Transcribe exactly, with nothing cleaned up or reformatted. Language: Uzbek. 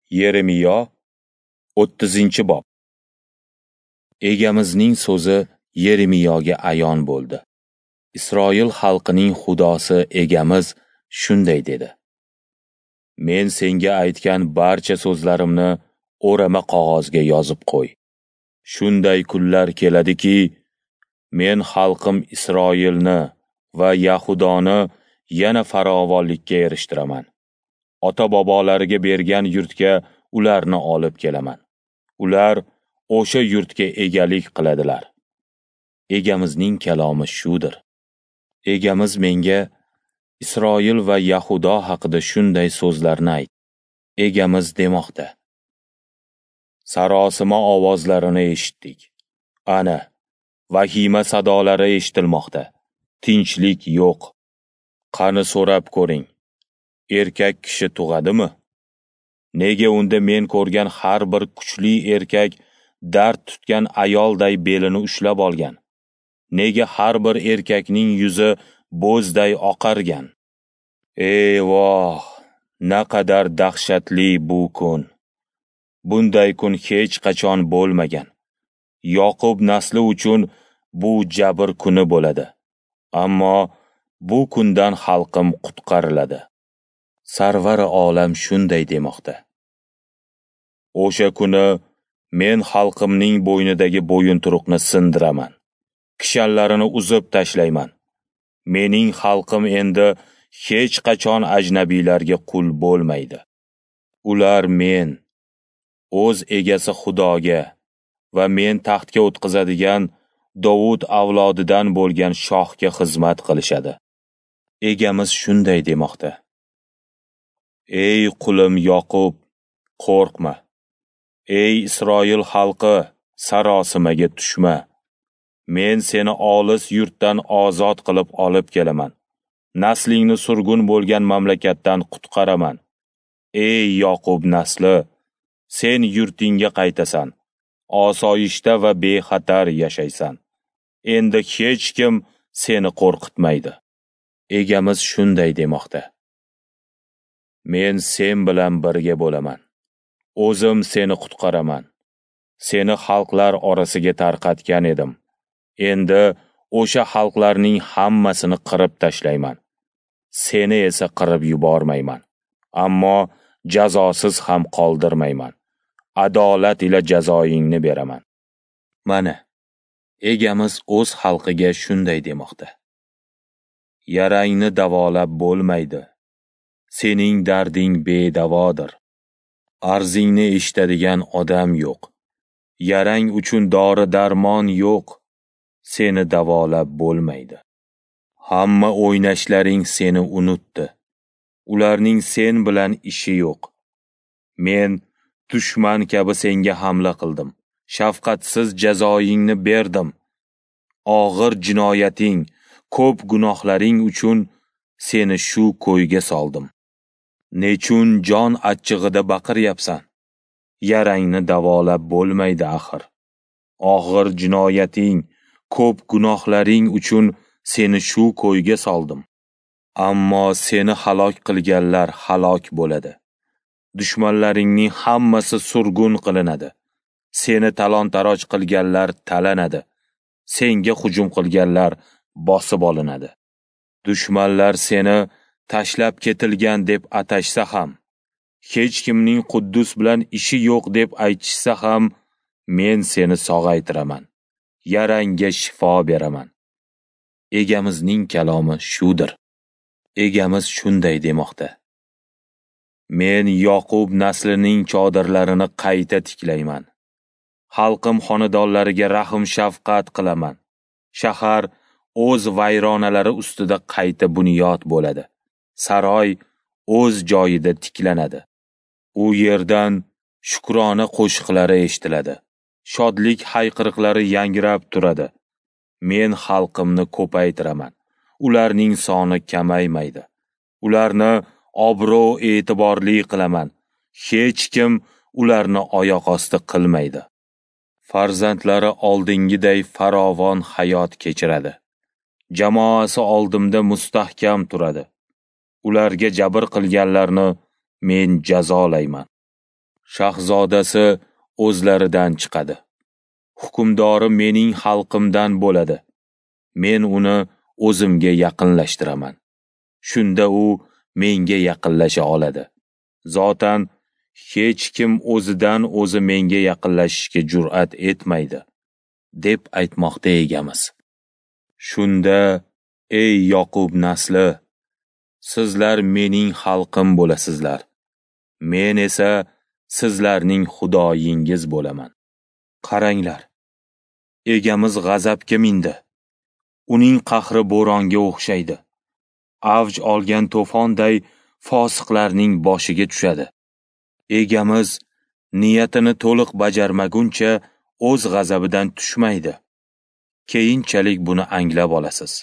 Yeremiyo o'ttizinchi bob. Egamizning so'zi Yeremiyoga ayon bo'ldi. Isroil xalqining Xudosi Egamiz shunday dedi: Men senga aytgan barcha so'zlarimni o'rama qog'ozga yozib qo'y. Shunday kunlar keladiki, men xalqim Isroilni va Yahudoni yana farovonlikka erishtiraman. Ota-bobolariga bergan yurtga ularni olib kelaman. Ular o'sha yurtga egalik qiladilar. Egamizning kalomi shudir. Egamiz menga Isroil va Yahudo haqida shunday so'zlarni ayt. Egamiz demoqda: Sarosima ovozlarini eshitdik. Ana, vahima sadolari eshitilmoqda. Tinchlik yo'q. Qani so'rab ko'ring. Erkak kishi tug'adimi? Nega unda men ko'rgan har bir kuchli erkak dard tutgan ayolday belini ushlab olgan? Nega har bir erkakning yuzi bo'zday oqargan? Ey voh, naqadar dahshatli bu kun! Bunday kun hech qachon bo'lmagan. Yoqub nasli uchun bu jabr kuni bo'ladi. Ammo bu kundan xalqim qutqariladi. Sarvar olam shunday demoqda: O'sha kuni men xalqimning bo'ynidagi bo'yinturuqni sindiraman. Kishanlarini uzib tashlayman. Mening xalqim endi hech qachon ajnabiylarga qul bo'lmaydi. Ular men, o'z egasi Xudoga va men taxtga o'tqizadigan Dovud avlodidan bo'lgan shohga xizmat qilishadi. Egamiz shunday demoqda: Ey qulim Yoqub, qo'rqma. Ey Isroil xalqi, sarosimaga tushma. Men seni olis yurtdan ozod qilib olib kelaman. Naslingni surgun bo'lgan mamlakatdan qutqaraman. Ey Yoqub nasli, sen yurtingga qaytasan. Osoyishta va bexatar yashaysan. Endi hech kim seni qo'rqitmaydi. Egamiz shunday demoqda: Men sen bilan birga bo'laman. O'zim seni qutqaraman. Seni xalqlar orasiga tarqatgan edim. Endi o'sha xalqlarning hammasini qirib tashlayman. Seni esa qirib yubormayman. Ammo jazosiz ham qoldirmayman. Adolat ila jazoingni beraman. Mana, Egamiz o'z xalqiga shunday demoqda: Yarangni davolab bo'lmaydi. Sening darding bedavodir. Arzingni eshitadigan odam yo'q. Yarang uchun dori-darmon yo'q. Seni davolab bo'lmaydi. Hamma o'ynashlaring seni unutdi. Ularning sen bilan ishi yo'q. Men dushman kabi senga hamla qildim. Shafqatsiz jazoingni berdim. Og'ir jinoyating, ko'p gunohlaring uchun seni shu ko'yga soldim. Nechun jon achchig'ida baqiryapsan? Yarangni davolab bo'lmaydi axir. Og'ir jinoyating, ko'p gunohlaring uchun seni shu ko'yga soldim. Ammo seni halok qilganlar halok bo'ladi. Dushmanlaringning hammasi surgun qilinadi. Seni talon-taroj qilganlar talanadi. Senga hujum qilganlar bosib olinadi. Dushmanlar seni tashlab ketilgan deb atashsa ham, hech kimning Quddus bilan ishi yo'q deb aytishsa ham, men seni sog'aytiraman. Yarangga shifo beraman. Egamizning kalomi shudir. Egamiz shunday demoqda: Men Yoqub naslining chodirlarini qayta tiklayman. Xalqim xonadonlariga rahm-shafqat qilaman. Shahar o'z vayronalari ustida qayta bunyod bo'ladi. Saroy o'z joyida tiklanadi. U yerdan shukrona qo'shiqlari eshitiladi. Shodlik hayqiriqlari yangrab turadi. Men xalqimni ko'paytiraman. Ularning soni kamaymaydi. Ularni obro' e'tiborli qilaman. Hech kim ularni oyoq osti qilmaydi. Farzandlari oldingiday farovon hayot kechiradi. Jamoasi oldimda mustahkam turadi. Ularga jabr qilganlarni men jazolayman. Shahzodasi o'zlaridan chiqadi. Hukmdori mening xalqimdan bo'ladi. Men uni o'zimga yaqinlashtiraman. Shunda u menga yaqinlasha oladi. Zotan hech kim o'zidan o'zi menga yaqinlashishga jur'at etmaydi, deb aytmoqda Egamiz. Shunda, ey Yoqub nasli, sizlar mening xalqim bo'lasizlar. Men esa sizlarning Xudoyingiz bo'laman. Qaranglar, Egamiz g'azabga mindi. Uning qahri bo'ronga o'xshaydi. Avj olgan to'fonday fosiqlarning boshiga tushadi. Egamiz niyatini to'liq bajarmaguncha o'z g'azabidan tushmaydi. Keyinchalik buni anglab olasiz.